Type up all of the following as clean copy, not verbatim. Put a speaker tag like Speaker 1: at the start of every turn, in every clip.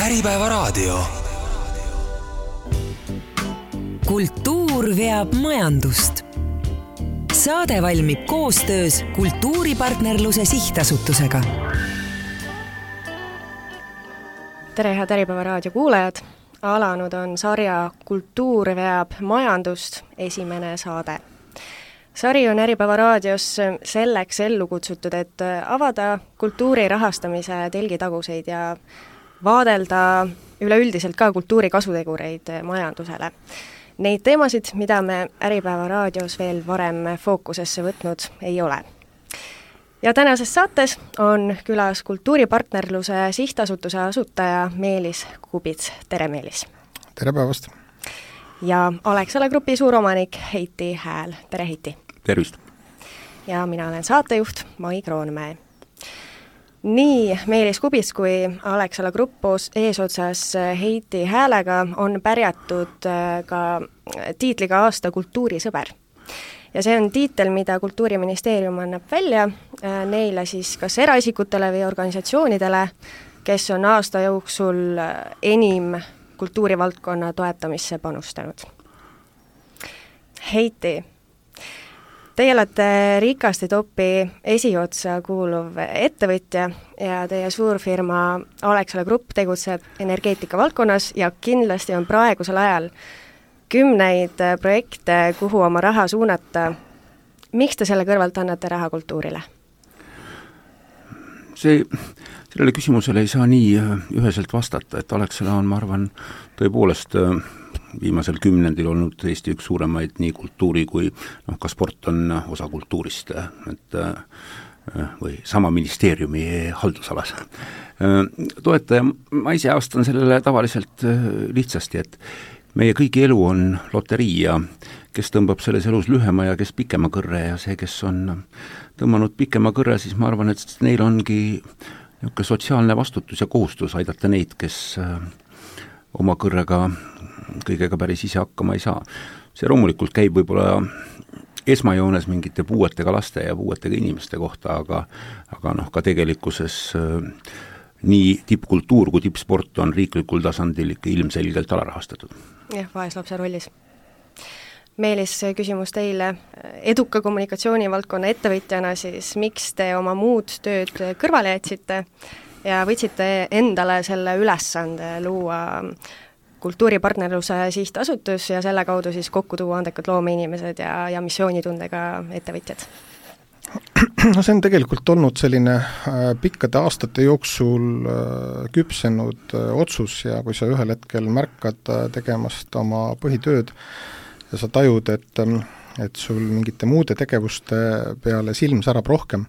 Speaker 1: Äripäevaraadio.
Speaker 2: Kultuur veab majandust. Saade valmib koostöös Kultuuripartnerluse Sihtasutusega.
Speaker 3: Tere, head Äripäevaraadio kuulajad! Alanud on sarja Kultuur veab majandust esimene saade. Sari on Äripäevaraadios selleks ellu kutsutud, et avada kultuuri rahastamise telgitaguseid ja vaadelda üleüldiselt ka kultuuri kasutegureid majandusele. Neid teemasid, mida me Äripäevaraadios veel varem fookusesse võtnud ei ole. Ja tänases saates on külas Kultuuripartnerluse Sihtasutuse asutaja Meelis Kubits. Tere, Meelis!
Speaker 4: Tere päevast!
Speaker 3: Ja Alexela Grupi suuromanik Heiti Hääl. Tere, Heiti!
Speaker 5: Tervist!
Speaker 3: Ja mina olen saatejuht Mai Kroonmäe. Nii Meelis Kubits kui Alexela Grupp eesotsas Heiti Häälega on pärjatud ka tiitliga aasta kultuurisõber. Ja see on tiitel, mida Kultuuriministeerium annab välja neile siis kas eraisikutele või organisatsioonidele, kes on aasta jooksul enim kultuurivaldkonna toetamisse panustanud. Heiti, teie olete Rikasti Topi esiotsa kuuluv ettevõtja ja teie suurfirma Alexela Grupp tegutseb energeetika valdkonnas ja kindlasti on praegusel ajal kümneid projekte, kuhu oma raha suunata. Miks te selle kõrvalt annate raha kultuurile?
Speaker 5: Sellele küsimusele ei saa nii üheselt vastata, et Alexela on, ma arvan, tõepoolest viimasel kümnendil olnud Eesti üks suuremaid nii kultuuri kui ka sport on osa kultuurist, või sama ministeeriumi haldusalas. Toetaja, ma ise aastan sellele tavaliselt lihtsasti, et meie kõigi elu on loterii ja kes tõmbab selles elus lühema ja kes pikema kõrre ja see, kes on tõmmanud pikema kõrre, siis ma arvan, et neil ongi niisugune sotsiaalne vastutus ja kohustus aidata neid, kes oma kõrrega kõigega päris ise hakkama ei saa. See loomulikult käib võib-olla esmajoones mingite puuetega laste ja puuetega inimeste kohta, aga ka tegelikkuses nii tippkultuur kui tippsport on riiklikul tasandil ikka ilmselgelt alarahastatud.
Speaker 3: Jah, vaeslapse rollis. Meelis, küsimus teile. Eduka kommunikatsioonivaldkonna ettevõtjana siis miks te oma muud tööd kõrvale jätsite ja võtsite endale selle ülesande luua Kultuuripartnerluse Sihtasutus ja selle kaudu siis kokku tuua andekad loomeinimesed ja missioonitundega ettevõtjad?
Speaker 4: No see on tegelikult olnud selline pikkade aastate jooksul küpsenud otsus ja kui sa ühel hetkel märkad tegemast oma põhitööd ja sa tajud, et sul mingite muude tegevuste peale silm särab rohkem,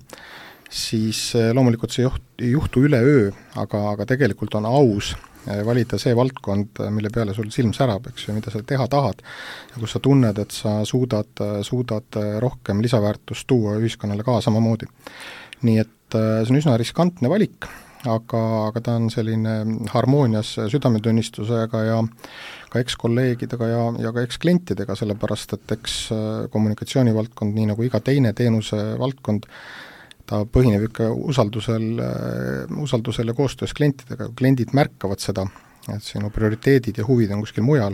Speaker 4: siis loomulikult see ei juhtu üleöö, aga tegelikult on aus valida see valdkond, mille peale sul silm särab, eks ju, mida sa teha tahad ja kus sa tunned, et sa suudad rohkem lisaväärtust tuua ühiskonnale ka samamoodi. Nii et see on üsna riskantne valik, aga ta on selline harmoonias südametunnistusega ja ka eks-kolleegidega ja ka eks-klientidega, sellepärast et eks kommunikatsioonivaldkond, nii nagu iga teine teenuse valdkond, ta põhineb ikka usaldusel ja koostöös klientidega. Kui kliendid märkavad seda, et sinu prioriteedid ja huvid on kuskil mujal,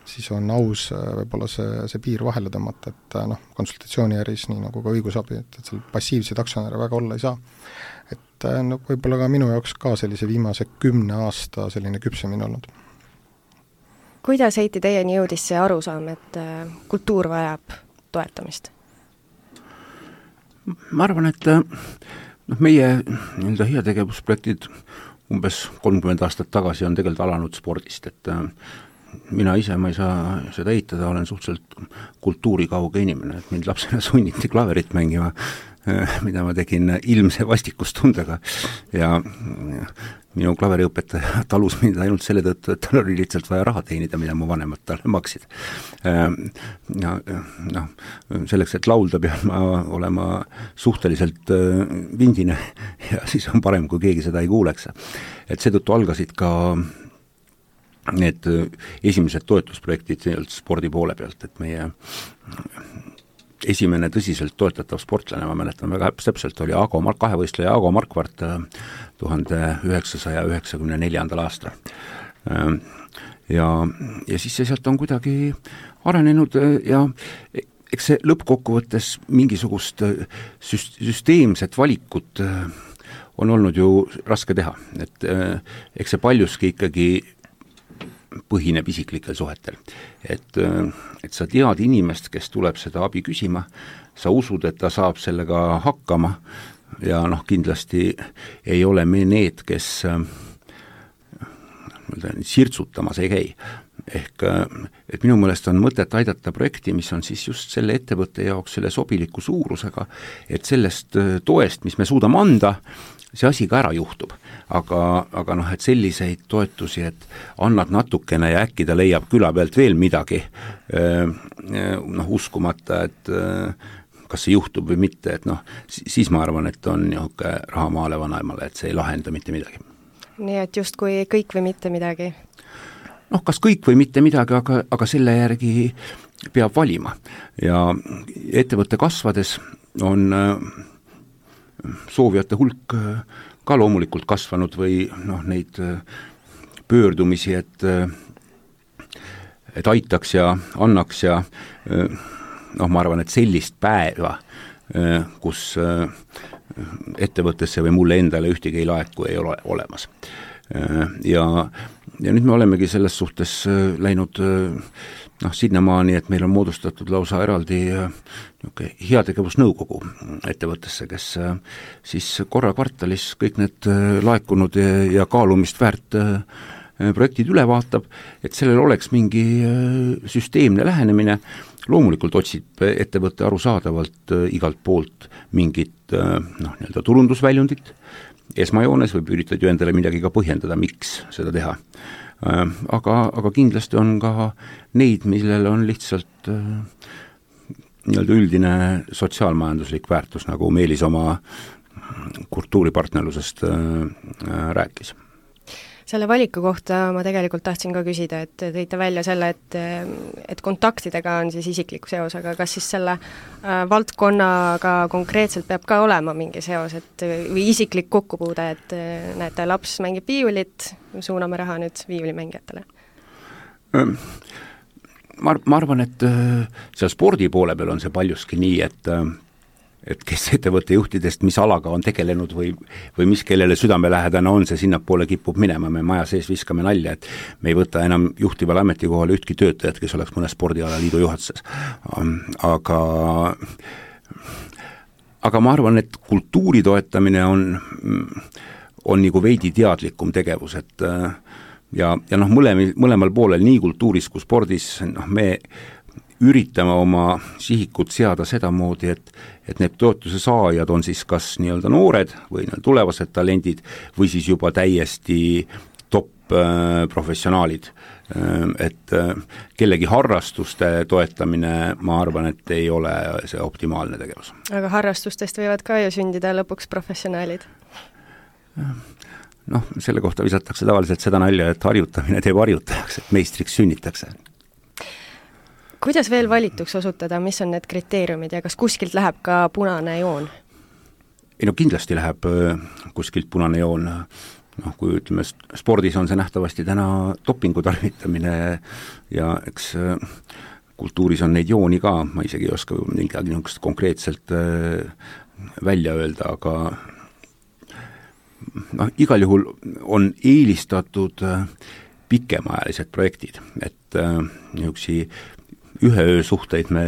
Speaker 4: siis on aus võib-olla see piir vahele tõmmata, et konsultatsiooniäris, nii nagu ka õigusabi, et seal passiivseid aktsionäre väga olla ei saa. Et võib-olla ka minu jaoks ka sellise viimase 10 aasta selline küpsemine olnud.
Speaker 3: Kuidas Heiti teieni jõudis see arusaam, et kultuur vajab toetamist?
Speaker 5: Ma arvan, et meie heategevusprojektid umbes 30 aastat tagasi on tegelikult alanud spordist, et mina ise, ma ei saa seda eitada, olen suhteliselt kultuurikauge inimene, et mind lapsena sunniti klaverit mängima, mida ma tegin ilmse vastikustundega ja minu klaveriõpetaja talus mind ainult selle tõttu, et tal oli lihtsalt vaja raha teenida, mida mu vanemad talle maksid. Selleks, et laulda pean ma olema suhteliselt vindine ja siis on parem, kui keegi seda ei kuuleks. Et seetõttu algasid ka need esimesed toetusprojektid spordi poole pealt, et meie esimene tõsiselt toetatav sportlane, ma mäletan väga täpselt, oli kahevõistleja Aago Markvart 1994. aastal. Ja siis see sealt on kuidagi arenenud ja eks see lõppkokkuvõttes mingisugust süsteemset valikut on olnud ju raske teha, et eks see paljuski ikkagi põhineb isiklikel suhetel. Et sa tead inimest, kes tuleb seda abi küsima, sa usud, et ta saab sellega hakkama ja kindlasti ei ole me need, kes sirtsutamas ei käi. Ehk et minu meelest on mõtet aidata projekti, mis on siis just selle ettevõtte jaoks selle sobiliku suurusega, et sellest toest, mis me suudame anda, see asi ka ära juhtub. Aga et selliseid toetusi, et annad natukene ja äkki ta leiab küla pealt veel midagi, uskumata, et kas see juhtub või mitte, et siis ma arvan, et on raha maale vanaemale, et see ei lahenda mitte midagi.
Speaker 3: Nii et justkui kõik või mitte midagi?
Speaker 5: Kas kõik või mitte midagi, aga selle järgi peab valima. Ja ettevõtte kasvades on soovijate hulk ka loomulikult kasvanud või neid pöördumisi, et aitaks ja annaks ja ma arvan, et sellist päeva, kus ettevõttesse või mulle endale ühtegi ei laeku, ei ole olemas. Ja nüüd me olemegi selles suhtes läinud sinnamaani, et meil on moodustatud lausa eraldi heategevusnõukogu ettevõttesse, kes siis korra kvartalis kõik need laekunud ja kaalumist väärt projektid üle vaatab, et sellel oleks mingi süsteemne lähenemine. Loomulikult otsib ettevõtte arusaadavalt igalt poolt mingit nii-öelda turundusväljundit esmajoones või üritad ju endale midagi ka põhjendada, miks seda teha. Aga kindlasti on ka neid, millel on lihtsalt nii-öelda üldine sotsiaalmajanduslik väärtus, nagu Meelis oma kultuuripartnerlusest rääkis.
Speaker 3: Selle valiku kohta ma tegelikult tahtsin ka küsida, et tõite välja selle, et kontaktidega on siis isikliku seos, aga kas siis selle valdkonnaga konkreetselt peab ka olema mingi seos, või isiklik kokkupuude, et näete, laps mängib viiulit, suuname raha nüüd viiulimängijatele?
Speaker 5: Ma arvan, et seal spordi poole peal on see paljuski nii, et kes ettevõtte juhtidest, mis alaga on tegelenud või mis kellele südamelähedane on, see sinnapoole kipub minema, me maja sees viskame nalja, et me ei võta enam juhtival ametikohale ühtki töötajat, kes oleks mõne spordialaliidu juhatuses. Aga ma arvan, et kultuuri toetamine on nagu veidi teadlikum tegevus, et ja mõlemal poolel, nii kultuuris kui spordis, me üritame oma sihikut seada sedamoodi, et need toetuse saajad on siis kas nii-öelda noored või tulevased talendid või siis juba täiesti top professionaalid. Et kellegi harrastuste toetamine, ma arvan, et ei ole see optimaalne tegevus.
Speaker 3: Aga harrastustest võivad ka ju sündida lõpuks professionaalid?
Speaker 5: Selle kohta visatakse tavaliselt seda nalja, et harjutamine teeb harjutajaks, et meistriks sünnitakse.
Speaker 3: Kuidas veel valituks osutada, mis on need kriteeriumid ja kas kuskilt läheb ka punane joon?
Speaker 5: Kindlasti läheb kuskilt punane joon. Kui ütleme, spordis on see nähtavasti täna dopingu tarvitamine ja eks kultuuris on neid jooni ka, ma isegi ei oska midagi konkreetselt välja öelda, aga igal juhul on eelistatud pikemaajalised projektid, et niisugusi ühe öö suhteid me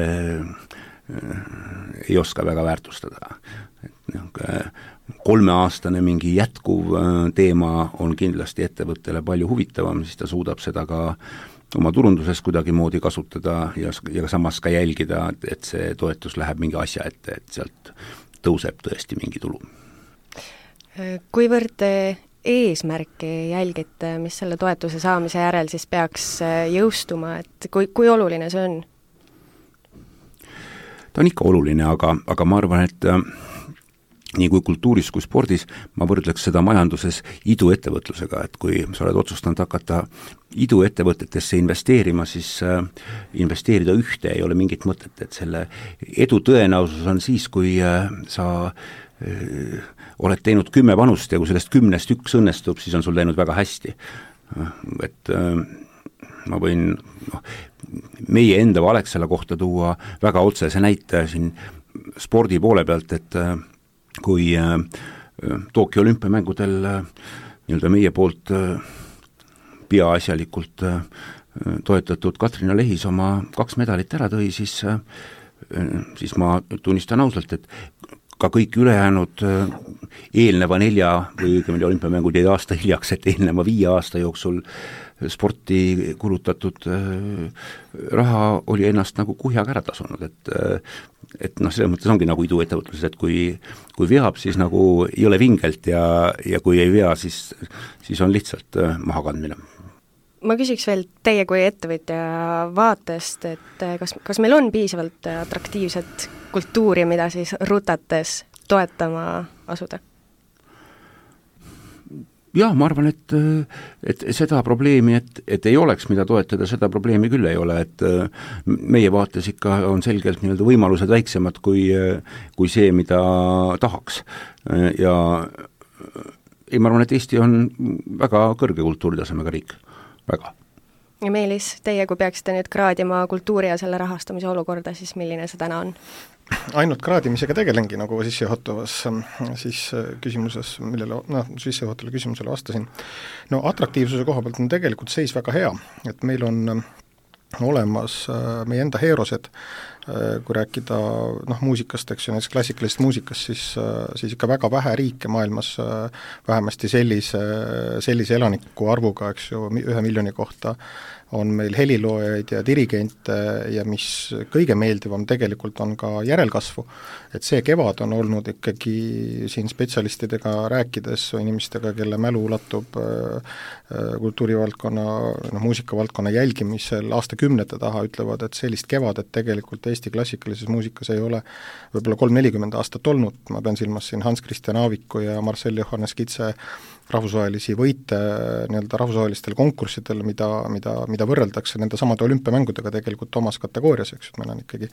Speaker 5: ei oska väga väärtustada. 3-aastane mingi jätkuv teema on kindlasti ettevõttele palju huvitavam, siis ta suudab seda ka oma turunduses kuidagi moodi kasutada ja samas ka jälgida, et see toetus läheb mingi asja ette, et sealt tõuseb tõesti mingi tulu.
Speaker 3: Kuivõrd te eesmärki jälgite, mis selle toetuse saamise järel siis peaks jõustuma, et kui oluline see on?
Speaker 5: Ta on ikka oluline, aga ma arvan, et nii kui kultuuris kui spordis, ma võrdleks seda majanduses iduettevõtlusega, et kui sa oled otsustanud hakata iduettevõtetesse investeerima, siis investeerida ühte ei ole mingit mõtet, et selle edu tõenäosus on siis, kui sa oled teinud 10 panust ja kui sellest 10 üks õnnestub, siis on sul läinud väga hästi. Et ma võin meie enda Alexela kohta tuua väga otsese näite siin spordi poole pealt, et kui Tokyo olümpiamängudel nii-öelda meie poolt peaasjalikult toetatud Katrina Lehis oma 2 medalit ära tõi, siis ma tunnistan ausalt, et ka kõik ülejäänud eelneva 4 või õigemini olümpiamängud jäid aasta hiljaks, et eelneva 5 aasta jooksul sporti kulutatud raha oli ennast nagu kuhjaga ära tasunud, et selles mõttes ongi nagu iduettevõtluses, et kui veab, siis nagu ei ole vingelt ja kui ei vea, siis on lihtsalt mahakandmine.
Speaker 3: Ma küsiks veel teie kui ettevõtja vaatest, et kas meil on piisavalt atraktiivset kultuuri, mida siis rutates toetama asuda?
Speaker 5: Jah, ma arvan, et seda probleemi, et ei oleks, mida toetada, seda probleemi küll ei ole, et meie vaates ikka on selgelt nii-öelda võimalused väiksemad kui see, mida tahaks. Ja ma arvan, et Eesti on väga kõrge kultuuritasemega riik, väga.
Speaker 3: Ja Meelis, teie kui peaksite nüüd kraadima kultuuri ja selle rahastamise olukorda, siis milline see täna on?
Speaker 4: Ainult kraadimisega tegelengi, nagu sissejuhatavas siis küsimuses, sissejuhatavale küsimusele vastasin. No atraktiivsuse koha pealt on tegelikult seis väga hea, et meil on olemas meie enda heerosed, kui rääkida muusikast, eks ju, näiteks klassikalisest muusikast, siis ikka väga vähe riike maailmas vähemasti sellise elaniku arvuga, eks ju, 1 miljoni kohta on meil heliloojaid ja dirigente ja mis kõige meeldivam tegelikult on ka järelkasvu, et see kevad on olnud ikkagi siin spetsialistidega rääkides inimestega, kelle mälu ulatub kultuurivaldkonna, muusikavaldkonna jälgimisel aastakümnete taha, ütlevad, et sellist kevadet tegelikult Eesti klassikalises muusikas ei ole võib-olla 30-40 aastat olnud, ma pean silmas siin Hans Christian Aaviku ja Marcel Johannes Kitse rahvusvahelisi võite nii-öelda rahvusvahelistel konkurssidel, mida võrreldakse nende samade olümpiamängudega tegelikult omas kategoorias, eks ju, et meil on ikkagi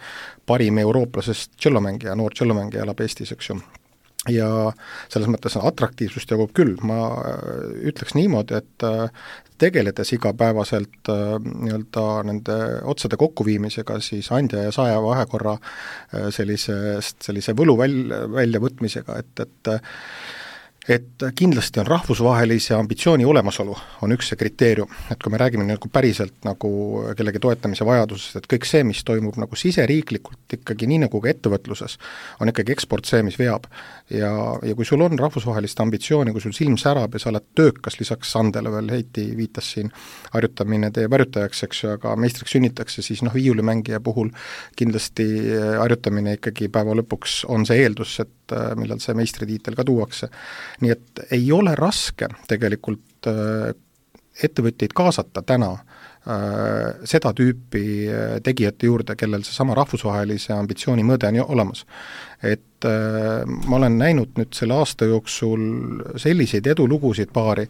Speaker 4: parim eurooplasest tšellomängija, noor tšellomängija elab Eestis, eks ju. Ja selles mõttes atraktiivsust jagub küll, ma ütleks niimoodi, et tegeledes igapäevaselt nii-öelda nende otsade kokkuviimisega, siis andja ja saaja vahekorra sellise võlu väljavõtmisega, et kindlasti on rahvusvahelise ambitsiooni olemasolu, on üks see kriteerium, et kui me räägime nagu päriselt nagu kellegi toetamise vajadusest, et kõik see, mis toimub nagu siseriiklikult ikkagi nii nagu ka ettevõtluses, on ikkagi eksport see, mis veab. Ja kui sul on rahvusvahelist ambitsiooni, kui sul silm särab ja sa oled töökas, lisaks Sandele veel Heiti viitas siin, harjutamine teeb harjutajaks, eks ju, aga meistriks sünnitakse, siis viiulimängija puhul kindlasti harjutamine ikkagi päeva lõpuks on see eeldus, et millal see meistritiitel ka tuuakse. Nii et ei ole raske tegelikult ettevõtteid kaasata täna seda tüüpi tegijate juurde, kellel seesama rahvusvahelise ambitsiooni mõõde on olemas. Et ma olen näinud nüüd selle aasta jooksul selliseid edulugusid paari,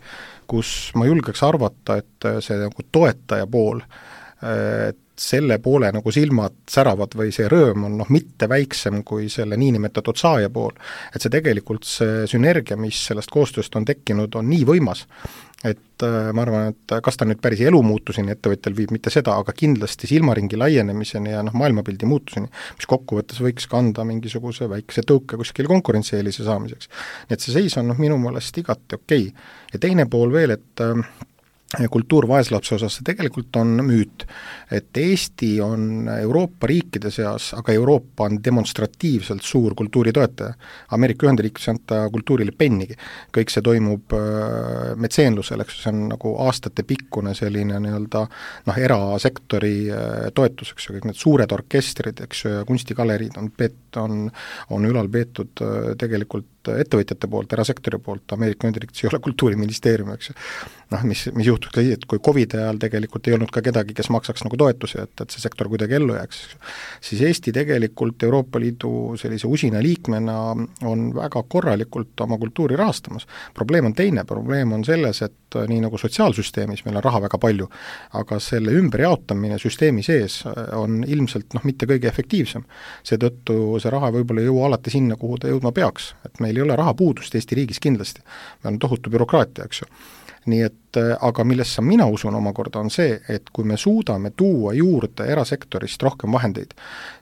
Speaker 4: kus ma julgeks arvata, et see nagu toetaja pool, selle poole nagu silmad säravad või see rõõm on mitte väiksem kui selle niinimetatud saaja pool. Et see tegelikult see sünergia, mis sellest koostööst on tekkinud, on nii võimas, et ma arvan, et kas ta nüüd päris elumuutuseni ettevõtjal viib, mitte seda, aga kindlasti silmaringi laienemiseni ja maailmapildi muutuseni, mis kokkuvõttes võiks kanda mingisuguse väikese tõuke kuskil konkurentsieelise saamiseks. Nii et see seis on minu meelest igati okei. Ja teine pool veel, et kultuur vaeslapse osas, see tegelikult on müüt, et Eesti on Euroopa riikide seas, aga Euroopa on demonstratiivselt suur kultuuritoetaja. Ameerika Ühendriikides ei anta kultuurile pennigi. Kõik see toimub metseenlusel, eks see on nagu aastate pikkune selline nii-öelda erasektori toetus, eks ju, kõik need suured orkestrid, eks ju, ja kunstigaleriid on ülal peetud tegelikult ettevõtjate poolt, erasektori poolt, Ameerika Ühendriikides ei ole kultuuriministeerium, eks ju. mis juhtus ka, et kui COVID ajal tegelikult ei olnud ka kedagi, kes maksaks nagu toetusi, et see sektor kuidagi ellu jääks, siis Eesti tegelikult Euroopa Liidu sellise usina liikmena on väga korralikult oma kultuuri rahastamas. Probleem on teine, probleem on selles, et nii nagu sotsiaalsüsteemis meil on raha väga palju, aga selle ümberjaotamine süsteemi sees on ilmselt mitte kõige efektiivsem. Seetõttu see raha võib-olla ei jõua alati sinna, kuhu ta jõudma peaks, et meil ei ole rahapuudust Eesti riigis kindlasti, meil on tohutu bürokraatia, eks ju. Nii et, aga millesse mina usun omakorda on see, et kui me suudame tuua juurde erasektorist rohkem vahendeid,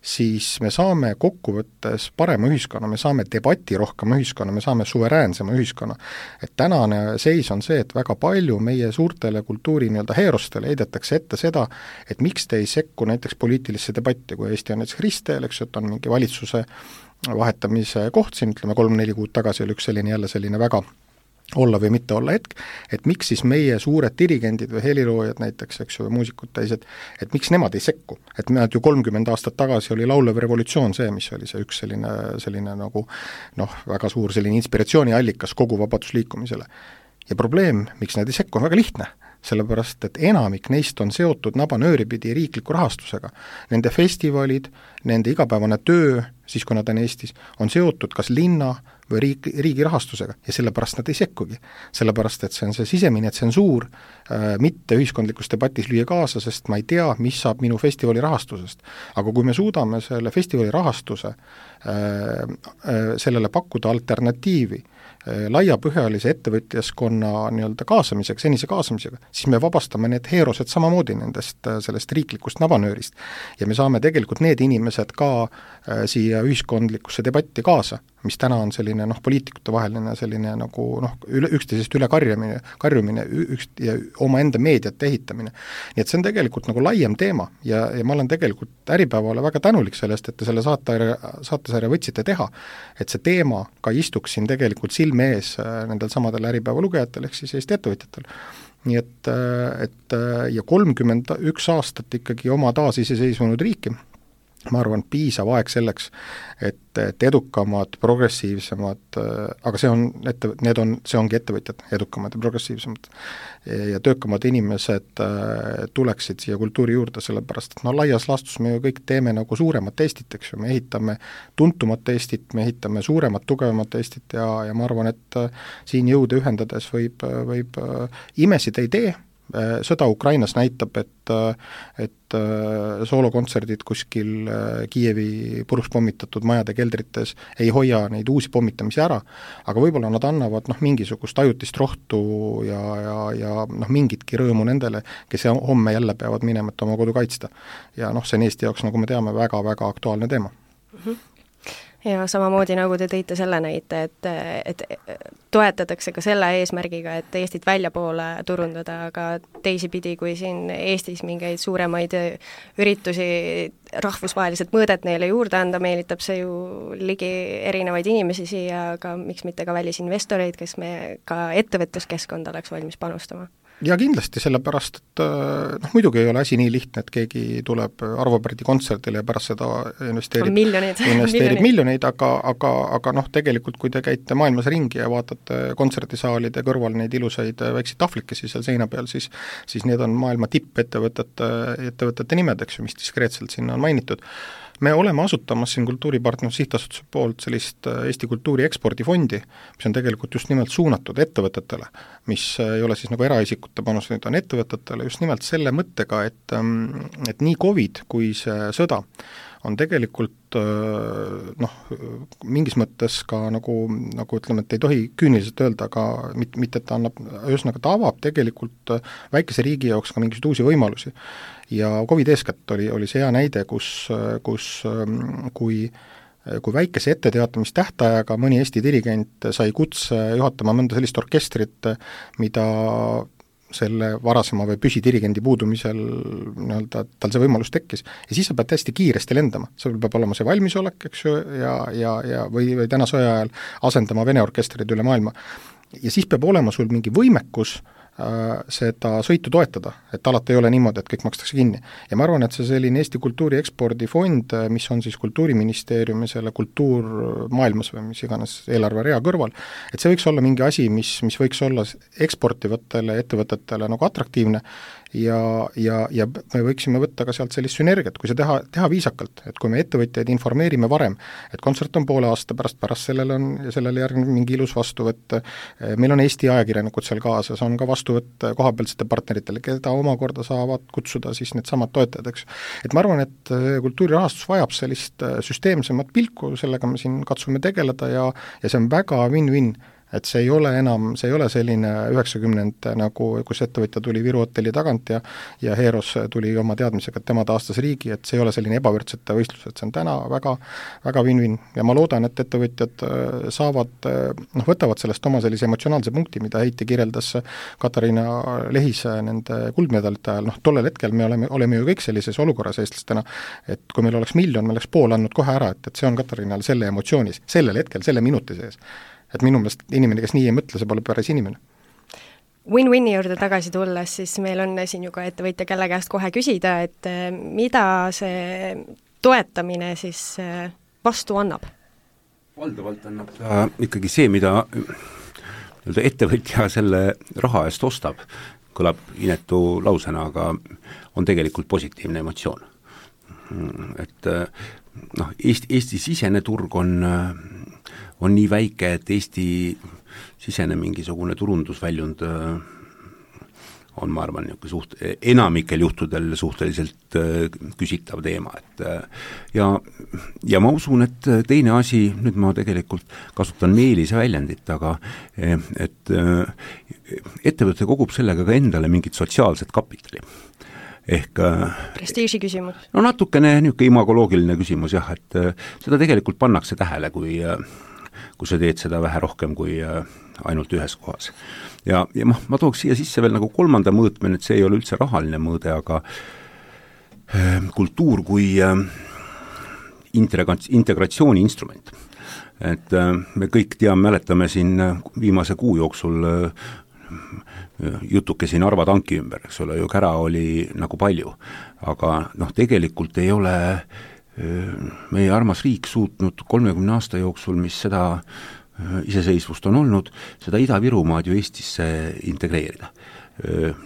Speaker 4: siis me saame kokkuvõttes parema ühiskonna, me saame debati rohkem ühiskonna, me saame suveräänsema ühiskonna. Et tänane seis on see, et väga palju meie suurtele kultuuri heerostele heidetakse ette seda, et miks te ei sekku näiteks poliitilisse debatti, kui Eesti on näiteks ristteel, eks, et on mingi valitsuse vahetamise koht siin, ütleme 3-4 kuud tagasi oli üks selline väga olla või mitte olla hetk, et miks siis meie suured dirigendid või heliloojad näiteks, eks ju, muusikud teised, et miks nemad ei sekku, et nad ju 30 aastat tagasi oli laulev revolutsioon see, mis oli see üks selline nagu väga suur selline inspiratsiooniallikas kogu vabadusliikumisele. Ja probleem, miks nad ei sekku, on väga lihtne, sellepärast, et enamik neist on seotud nabanööripidi riikliku rahastusega. Nende festivalid, nende igapäevane töö, siis kui nad on Eestis, on seotud kas linna või riigi rahastusega ja sellepärast nad ei sekkugi. Sellepärast, et see on see sisemine tsensuur, mitte ühiskondlikus debatis lüüa kaasa, sest ma ei tea, mis saab minu festivali rahastusest. Aga kui me suudame selle festivali rahastuse sellele pakkuda alternatiivi, laiapõhjalise ettevõtjaskonna kaasamisega, senise kaasamisega, siis me vabastame need heerosed samamoodi sellest riiklikust nabanöörist. Ja me saame tegelikult need inimesed ka siia ühiskondlikusse debatti kaasa, mis täna on selline poliitikute vaheline selline nagu üksteisest üle karjumine ja oma enda meediat ehitamine. Nii et see on tegelikult nagu laiem teema ja ma olen tegelikult Äripäevale väga tänulik sellest, et te selle saatesarja võtsite teha, et see teema ka istuks siin tegelikult silme ees nendel samadel Äripäeva lugejatel ehk siis Eesti ettevõtjatel. Nii et ja 31 aastat ikkagi oma taasiseseisvunud riiki, ma arvan, piisav aeg selleks, et edukamad, progressiivsemad, aga see ongi ettevõtjad, edukamad ja progressiivsemad ja töökamad inimesed tuleksid siia kultuuri juurde, sellepärast, et laias laastus me ju kõik teeme nagu suuremat Eestit, eks ju, me ehitame tuntumat Eestit, me ehitame suuremat, tugevamat Eestit ja ma arvan, et siin jõude ühendades võib imesid ei tee. Sõda Ukrainas näitab, et soolokontserdid kuskil Kiievi puruks pommitatud majade keldrites ei hoia neid uusi pommitamisi ära, aga võib-olla nad annavad mingisugust ajutist rohtu ja mingitki rõõmu nendele, kes homme jälle peavad minema, et oma kodu kaitsta. Ja see on Eesti jaoks, nagu me teame, väga-väga aktuaalne teema.
Speaker 3: Ja samamoodi nagu te tõite selle näite, et toetatakse ka selle eesmärgiga, et Eestit väljapoole turundada, aga teisipidi, kui siin Eestis mingeid suuremaid üritusi rahvusvaheliselt mõõdet neile juurde anda, meelitab see ju ligi erinevaid inimesi siia, aga miks mitte ka välisinvestoreid, kes me ka ettevõtluskeskkond oleks valmis panustama.
Speaker 4: Ja kindlasti, sellepärast, et muidugi ei ole asi nii lihtne, et keegi tuleb Arvo Pärdi kontserdile ja pärast seda investeerib miljoneid, aga tegelikult, kui te käite maailmas ringi ja vaatate kontserdisaalide kõrval neid ilusaid väikseid tahvlikesi seal seina peal, siis need on maailma tippettevõtete nimed, eks ju, mis diskreetselt sinna on mainitud. Me oleme asutamas siin Kultuuripartnerluse Sihtasutuse poolt sellist Eesti kultuuri ekspordifondi, mis on tegelikult just nimelt suunatud ettevõtetele, mis ei ole siis nagu eraisikute panus, need on ettevõtetele just nimelt selle mõttega, et nii COVID kui see sõda on tegelikult mingis mõttes ka nagu ütleme, et ei tohi küüniliselt öelda, aga mitte, et ta annab, ühesõnaga ta avab tegelikult väikese riigi jaoks ka mingisuguseid uusi võimalusi. Ja COVID eeskätt oli see hea näide, kus kui väikese etteteatamistähtajaga mõni Eesti dirigent sai kutse juhatama mõnda sellist orkestrit, mida selle varasema või püsidirigendi puudumisel tal see võimalus tekkis. Ja siis sa pead hästi kiiresti lendama, sul peab olema see valmisolek, eks ju, või täna sõja ajal asendama Vene orkestrid üle maailma. Ja siis peab olema sul mingi võimekus seda sõitu toetada, et alati ei ole niimoodi, et kõik makstakse kinni. Ja ma arvan, et see selline Eesti kultuuri ekspordifond, mis on siis Kultuuriministeeriumi selle kultuurmaailmas või mis iganes eelarverea kõrval, et see võiks olla mingi asi, mis võiks olla eksportivatele ettevõtetele nagu atraktiivne ja me võiksime võtta ka sealt sellist sünergiat, kui see teha viisakalt, et kui me ettevõtjaid informeerime varem, et kontsert on poole aasta pärast sellele järgneb mingi ilus vastuvõtt, meil on Eesti ajakirjanikud seal kaasas, on ka vastuvõtt kohapealsete partneritele, keda omakorda saavad kutsuda siis need samad toetajad, eks. Et ma arvan, et kultuurirahastus vajab sellist süsteemsemat pilku, sellega me siin katsume tegeleda ja see on väga win-win. Et see ei ole selline 90 nagu, kus ettevõtja tuli Viru hotelli tagant ja Heeros tuli oma teadmisega, et tema taastas riigi, et see ei ole selline ebavõrdsete võistlus, et see on täna väga, väga win-win. Ja ma loodan, et ettevõtjad võtavad sellest oma sellise emotsionaalse punkti, mida Heiti kirjeldas Katariina Lehise nende kuldmedalite ajal. Tollel hetkel me oleme ju kõik sellises olukorras eestlastena, et kui meil oleks miljon, me oleks pool andnud kohe ära, et see on Katariinal selle emotsioonis, sellel hetkel, selle minuti sees. Et minu meelest inimene, kes nii ei mõtle, see pole päris inimene.
Speaker 3: Win-win'i juurde tagasi tulles, siis meil on siin ju ka ettevõtja, kelle käest kohe küsida, et mida see toetamine siis vastu annab?
Speaker 5: Valdavalt annab ikkagi see, mida ettevõtja selle raha eest ostab, kõlab inetu lausena, aga on tegelikult positiivne emotsioon. Et Eesti sisene turg on nii väike, et Eesti sisene mingisugune turundusväljund on, ma arvan, enamikel juhtudel suhteliselt küsitav teema, et ja ma usun, et teine asi, nüüd ma tegelikult kasutan Meelise väljendit, aga et ettevõte kogub sellega ka endale mingit sotsiaalset kapitali. Ehk
Speaker 3: prestiiži küsimus.
Speaker 5: No natukene niisugune imagoloogiline küsimus jah, et seda tegelikult pannakse tähele, kui sa teed seda vähe rohkem kui ainult ühes kohas. Ja ma tooks siia sisse veel nagu kolmanda mõõtme, et see ei ole üldse rahaline mõõde, aga kultuur kui integratsiooni instrument. Et me kõik mäletame siin viimase kuu jooksul jutuke siin Narva tanki ümber, eks ole, ju kära oli nagu palju, aga tegelikult ei ole meie armas riik suutnud 30 aasta jooksul, mis seda iseseisvust on olnud, seda Ida-Virumaad ju Eestisse integreerida,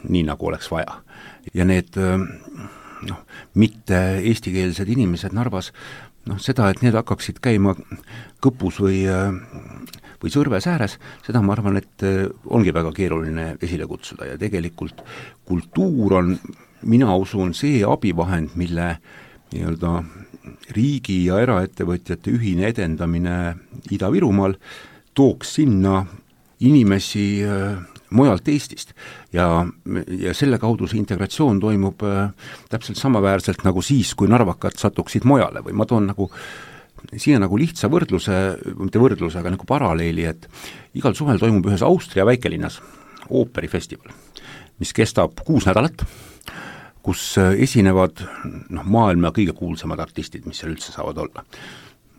Speaker 5: nii nagu oleks vaja. Ja need mitte eestikeelsed inimesed Narvas, seda, et need hakkaksid käima Kõpus või Sõrves ääres, seda ma arvan, et ongi väga keeruline esile kutsuda ja tegelikult kultuur on, mina usun, see abivahend, mille nii-öelda riigi ja eraettevõtjate ühine edendamine Ida-Virumaal tooks sinna inimesi mujalt Eestist ja selle kaudu see integratsioon toimub täpselt samaväärselt nagu siis, kui narvakad satuksid mujale või ma toon siia nagu lihtsa võrdluse, mitte võrdluse, aga nagu paralleeli, et igal suvel toimub ühes Austria väikelinnas ooperifestival, mis kestab 6 nädalat, kus esinevad maailma kõige kuulsamad artistid, mis seal üldse saavad olla.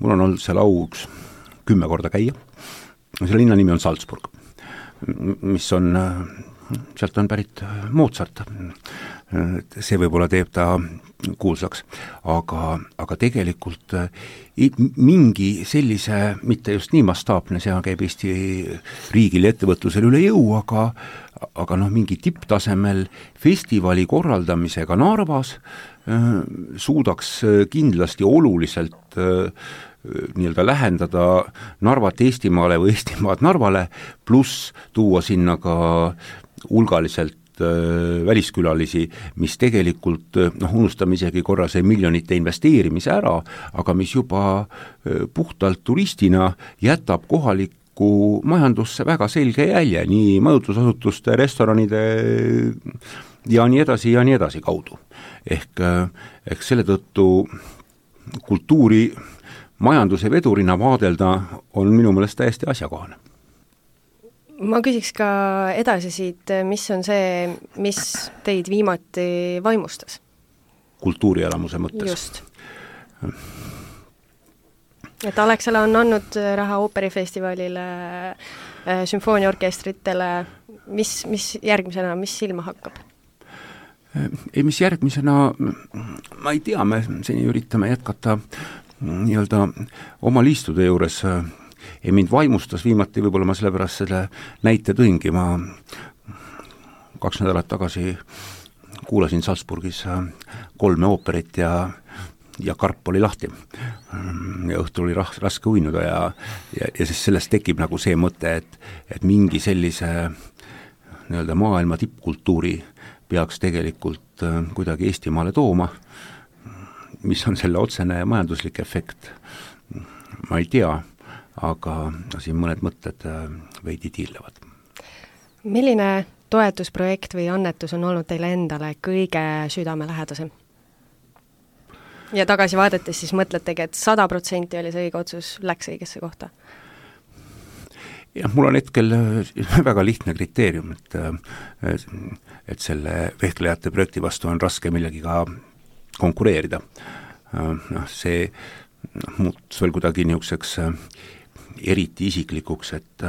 Speaker 5: Mul on olnud seal au 10 korda käia, selle linna nimi on Salzburg, mis on, sealt on pärit Mozart, see võib-olla teeb ta kuulsaks, aga tegelikult mingi sellise, mitte just nii mastaapne, see käib Eesti riigil ja ettevõtlusel üle jõu, aga mingi tipptasemel festivali korraldamisega Narvas suudaks kindlasti oluliselt nii-öelda lähendada Narvat Eestimaale või Eestimaad Narvale, pluss tuua sinna ka hulgaliselt väliskülalisi, mis tegelikult, unustame isegi korra see miljonite investeerimise ära, aga mis juba puhtalt turistina jätab kohalikku majandusse väga selge jälje, nii majutusasutuste, restoranide ja nii edasi kaudu. Ehk selle tõttu kultuuri majanduse vedurina vaadelda on minu meelest täiesti asjakohane.
Speaker 3: Ma küsiks ka edasi siit, mis on see, mis teid viimati vaimustas?
Speaker 5: Kultuurielamuse mõttes.
Speaker 3: Just. Et Alexela on andnud raha ooperifestivalile, sümfooniaorkestritele, mis järgmisena, mis silma hakkab?
Speaker 5: Ei, mis järgmisena, ma ei tea, me seni üritame jätkata nii-öelda oma liistude juures. Ei, mind vaimustas viimati, võib-olla ma sellepärast selle näite tõingi, ma 2 nädalat tagasi kuulasin Salzburgis 3 ooperit ja karp oli lahti. Ja õhtul oli raske uinuda ja siis sellest tekib nagu see mõte, et mingi sellise nii-öelda maailma tippkultuuri peaks tegelikult kuidagi Eestimaale tooma, mis on selle otsene majanduslik efekt. Ma ei tea, aga siin mõned mõtted veidi tiirlevad.
Speaker 3: Milline toetusprojekt või annetus on olnud teile endale kõige südamelähedasem? Ja tagasi vaadates siis mõtletegi, et 100% oli see õige otsus, läks õigesse kohta?
Speaker 5: Jah, mul on hetkel väga lihtne kriteerium, et selle vehklejate projekti vastu on raske millegiga konkureerida. See muutus veel kuidagi niisuguseks eriti isiklikuks, et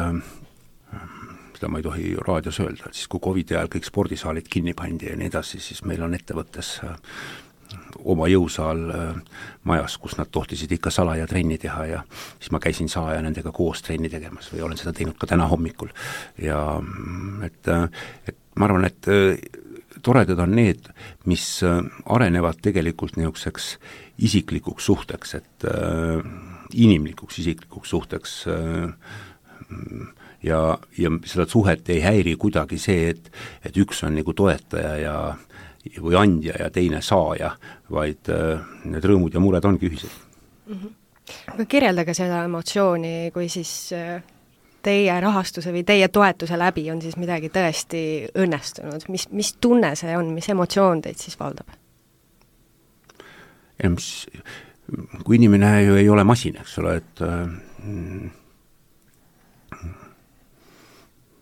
Speaker 5: seda ma ei tohi raadios öelda, et siis kui COVID-i ajal kõik spordisaalid kinni pandi ja nii edasi, siis meil on ettevõttes oma jõusaal majas, kus nad tohtisid ikka salaja trenni teha ja siis ma käisin salaja nendega koos trenni tegemas või olen seda teinud ka täna hommikul. Ja et ma arvan, et toredad on need, mis arenevad tegelikult niisuguseks isiklikuks suhteks, et inimlikuks isiklikuks suhteks ja seda suhet ei häiri kuidagi see, et üks on nagu toetaja või andja ja teine saaja, vaid need rõõmud ja mured ongi ühised.
Speaker 3: Aga kirjeldage seda emotsiooni, kui siis teie rahastuse või teie toetuse läbi on siis midagi tõesti õnnestunud. Mis tunne see on, mis emotsioon teid siis valdab?
Speaker 5: Kui inimene ju ei ole masin, eks ole, et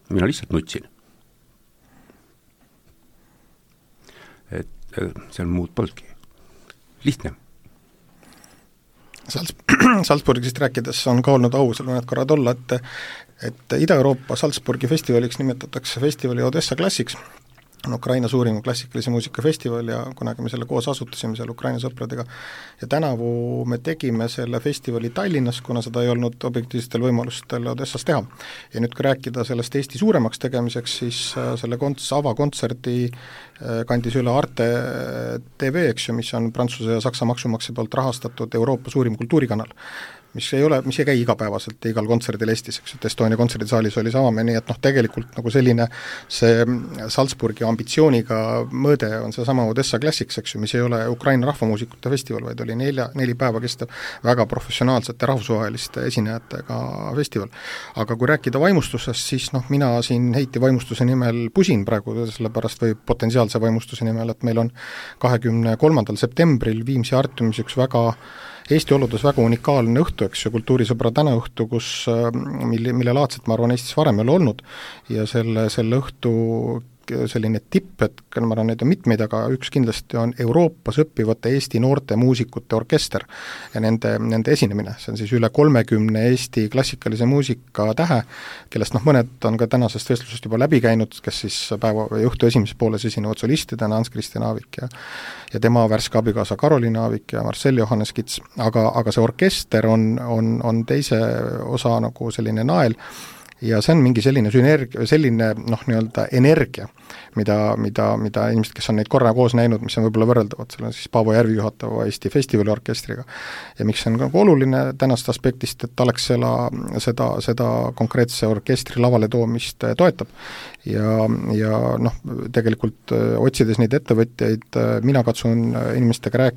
Speaker 5: mina lihtsalt nutsin. Et seal muud polnudki. Lihtne.
Speaker 4: Salzburgist rääkides on ka olnud au seal mõned korrad olla, et Ida-Euroopa Salzburgi festivaliks nimetatakse festivali Odessa Classics, on Ukraina suurim klassikalise muusika festival ja kunagi me selle koos asutasime seal Ukraina sõpradega ja tänavu me tegime selle festivali Tallinnas, kuna seda ei olnud objektiivsetel võimalustel Odessas teha. Ja nüüd kui rääkida sellest Eesti suuremaks tegemiseks, siis selle avakontserdi kandis üle Arte TV, eks ju, mis on Prantsuse ja Saksa maksumaksja poolt rahastatud Euroopa suurim kultuurikanal, mis ei käi igapäevaselt igal kontserdil Eestis, eks, et Estonia kontserdisaalis oli sama, nii et tegelikult nagu selline see Salzburgi ambitsiooniga mõõde on see sama Odessa Classics, eks ju, mis ei ole Ukraina rahvamuusikute festival, vaid oli 4 päeva kestev väga professionaalsete rahvusvaheliste esinejatega festival. Aga kui rääkida vaimustusest, siis mina siin heiti vaimustuse nimel pusin praegu, sellepärast või potentsiaalse vaimustuse nimel, et meil on 23. septembril Viimsi Artiumis üks väga Eesti oludes väga unikaalne õhtu, eks ju, kultuurisõbra tänaõhtu, mille laadset, ma arvan, Eestis varem ei ole olnud ja selle õhtu selline tipp, et ma arvan, neid on mitmeid, aga üks kindlasti on Euroopas õppivate Eesti noorte muusikute orkester ja nende esinemine, see on siis üle 30 Eesti klassikalise muusika tähe, kellest mõned on ka tänasest vestlusest juba läbi käinud, kes siis päeva või õhtu esimeses pooles esinevad solistidena Hans-Christian Aavik ja tema värske abikaasa Karoliina Aavik ja Marcel Johannes Kits, aga see orkester on teise osa nagu selline nael ja see on mingi selline sünergia, selline nii-öelda energia, mida inimesed, kes on neid korra koos näinud, mis on võib-olla võrreldavad, seal on siis Paavo Järvi juhatava Eesti festivaliorkestriga. Ja miks see on nagu oluline tänast aspektist, et Alexela seda konkreetse orkestri lavale toomist toetab. Ja tegelikult otsides neid ettevõtjaid, mina katsun inimestega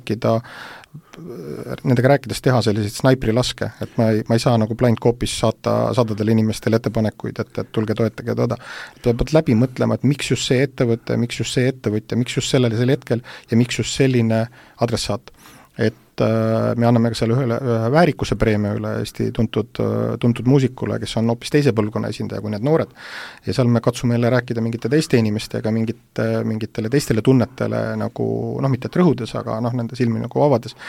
Speaker 4: nendega rääkides teha selliseid snaiprilaske, et ma ei saa nagu blind copies saadadele inimestele ettepanekuid, et tulge toetage toda. Peab läbi mõtlema, et miks just see ettevõte, miks just see ettevõtja, miks just sellel hetkel ja miks just selline adressaat. Et me anname ka selle ühe väärikuse preemia üle Eesti tuntud muusikule, kes on hoopis teise põlvkonna esindaja kui need noored. Ja seal me katsume jälle rääkida mingite teiste inimestega, mingitele teistele tunnetele nagu, mitte et rõhudes, aga nende silmi nagu avades.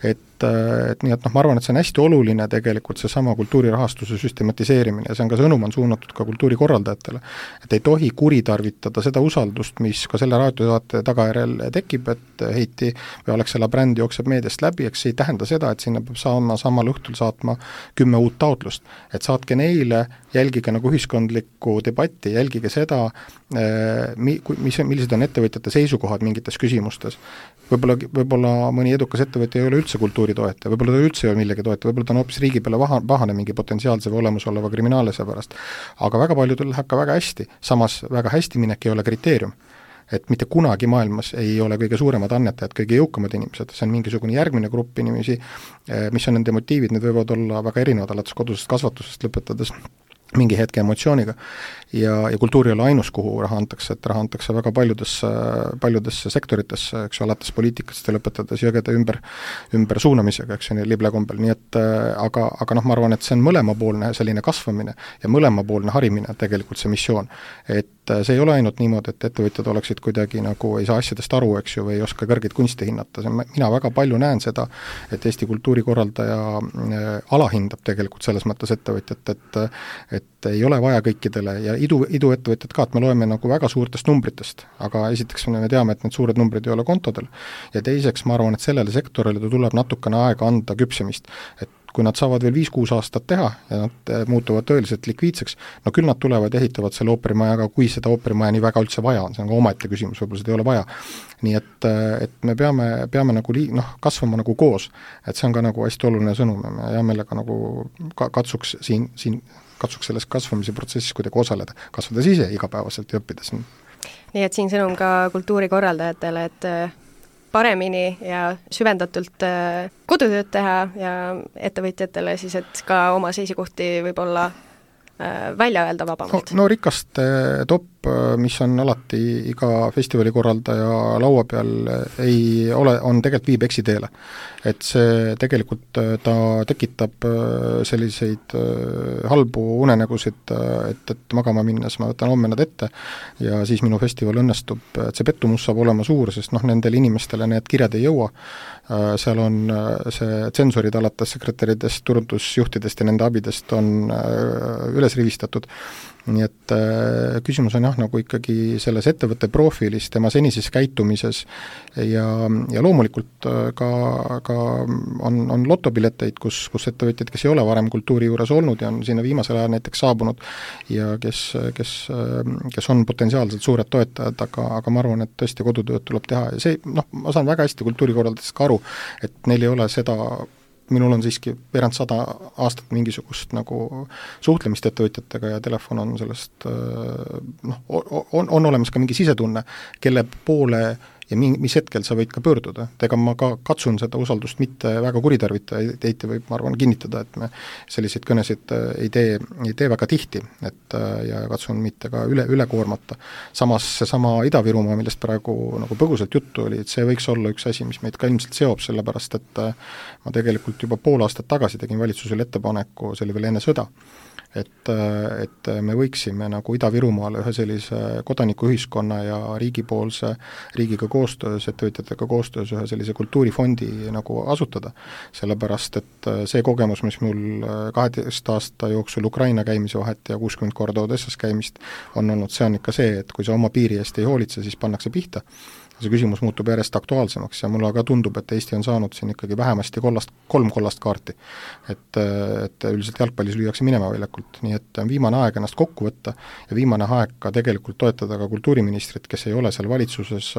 Speaker 4: Et nii et ma arvan, et see on hästi oluline tegelikult seesama kultuurirahastuse süstematiseerimine ja see on ka sõnum on suunatud ka kultuurikorraldajatele, et ei tohi kuritarvitada seda usaldust, mis ka selle raadiosaate tagajärjel tekib, et Heiti või Alexela bränd jookseb meediast läbi, eks see ei tähenda seda, et sinna peab samal õhtul saatma 10 uut taotlust, et saatke neile, jälgige nagu ühiskondlikku debatti, jälgige seda, millised on ettevõtjate seisukohad mingites küsimustes. Võib-olla mõni edukas ettevõtja ei ole üldse kultuuritoetaja, võib-olla ta üldse ei ole millegi toetaja, võib-olla ta on hoopis riigi peale pahane mingi potentsiaalse või olemasoleva kriminaalasja pärast. Aga väga paljudel läheb ka väga hästi, samas väga hästi minek ei ole kriteerium. Et mitte kunagi maailmas ei ole kõige suuremad annetajad, kõige jõukamad inimesed, see on mingisugune järgmine grupp inimesi, mis on nende motiivid, need võivad olla väga erinevad, alates kodusest kasvatusest lõpetades mingi hetke emotsiooniga ja kultuur ei ole ainus, kuhu raha antakse, et raha antakse väga paljudesse sektoritesse, eks ju, alates poliitikast ja lõpetades jõgede ümber suunamisega, eks ju, liblekombel, nii et aga ma arvan, et see on mõlemapoolne selline kasvamine ja mõlemapoolne harimine tegelikult see missioon, et see ei ole ainult niimoodi, et ettevõtjad oleksid kuidagi nagu ei saa asjadest aru, eks ju, või ei oska kõrgeid kunste hinnata, mina väga palju näen seda, et Eesti kultuurikorraldaja alahindab tegelikult selles mõttes ettevõtjat, et ei ole vaja kõikidele ja iduettevõtjad ka, et me loeme nagu väga suurtest numbritest, aga esiteks me teame, et need suured numbrid ei ole kontodel ja teiseks ma arvan, et sellele sektorile tuleb natukene aega anda küpsemist, et kui nad saavad veel 5-6 aastat teha ja nad muutuvad tõeliselt likviidseks, no küll nad tulevad ja ehitavad selle ooperimaja, aga kui seda ooperimaja nii väga üldse vaja on, see on ka omaette küsimus, võib-olla seda ei ole vaja. Nii et me peame nagu kasvama nagu koos, et see on ka nagu hästi oluline sõnum ja me hea meelega nagu katsuks selles kasvamise protsessis kuidagi osaleda, kasvades ise igapäevaselt ja õppides.
Speaker 3: Nii et siin sõnum ka kultuurikorraldajatele, et paremini ja süvendatult kodutööd teha ja ettevõtjatele siis, et ka oma seisukohti võib-olla välja öelda vabamalt.
Speaker 4: No rikaste top, mis on alati iga festivali korraldaja laua peal, on tegelikult viib eksiteele. Et see tegelikult ta tekitab selliseid halbu unenägusid, et magama minnes ma võtan homme nad ette ja siis minu festival õnnestub, et see pettumus saab olema suur, sest nendele inimestele need kirjad ei jõua. Seal on see tsensorid alates sekretäridest, turundusjuhtidest ja nende abidest on üles rivistatud. Nii et küsimus on nagu ikkagi selles ettevõtte profiilis, tema senises käitumises ja loomulikult ka on lotopileteid, kus ettevõtjad, kes ei ole varem kultuuri juures olnud ja on sinna viimasel ajal näiteks saabunud ja kes on potentsiaalselt suured toetajad, aga ma arvan, et tõesti kodutööd tuleb teha ja see, ma saan väga hästi kultuurikorraldajatest ka aru, et neil ei ole seda minul on siiski veerand 100 aastat mingisugust nagu suhtlemist ettevõtjatega ja telefon on sellest on olemas ka mingi sisetunne, kelle poole ja mis hetkel sa võid ka pöörduda. Ega ma ka katsun seda usaldust mitte väga kuritarvita, Heiti võib, ma arvan, kinnitada, et me selliseid kõnesid ei tee väga tihti, ja katsun mitte ka üle koormata. Samas seesama Ida-Virumaa, millest praegu nagu põgusalt juttu oli, et see võiks olla üks asi, mis meid ka ilmselt seob, sellepärast et ma tegelikult juba pool aastat tagasi tegin valitsusele ettepaneku, see oli veel enne sõda, et me võiksime nagu Ida-Virumaale ühe sellise kodanikuühiskonna ja riigiga koostöös, ettevõtjatega koostöös ühe sellise kultuurifondi nagu asutada, sellepärast et see kogemus, mis mul 12 aasta jooksul Ukraina käimise vahet ja 60 korda Odessas käimist on olnud, see on ikka see, et kui sa oma piiri eest ei hoolitse, siis pannakse pihta. See küsimus muutub järjest aktuaalsemaks ja mulle ka tundub, et Eesti on saanud siin ikkagi vähemasti 3 kollast kaarti. Et üldiselt jalgpallis lüüakse minema väljakult, nii et on viimane aeg ennast kokku võtta ja viimane aeg ka tegelikult toetada ka kultuuriministrit, kes ei ole seal valitsuses